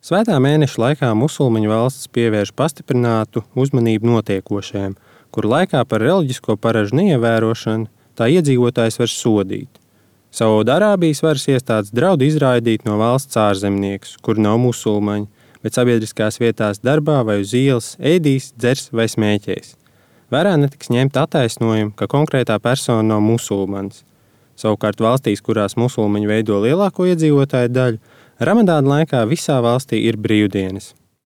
Svētā mēneša laikā musulmaņu valstis pievērš pastiprinātu uzmanību notiekošajam, kur laikā par reliģisko paražu neievērošanu tā iedzīvotājs var sodīt. Saudārābijas varas iestādes draud izraidīt no valsts ārzemniekus, kur nav musulmaņi, bet sabiedriskās vietās darbā vai uz ielas ēdīs, dzers vai smēķēs. Vērā netiks ņemt attaisnojumu, ka konkrētā persona nav musulmanis. Savukārt valstīs, kurās musulmaņi veido lielāko iedzīvotāju daļu, Ramadāna laikā visā valstī ir brīvdienas.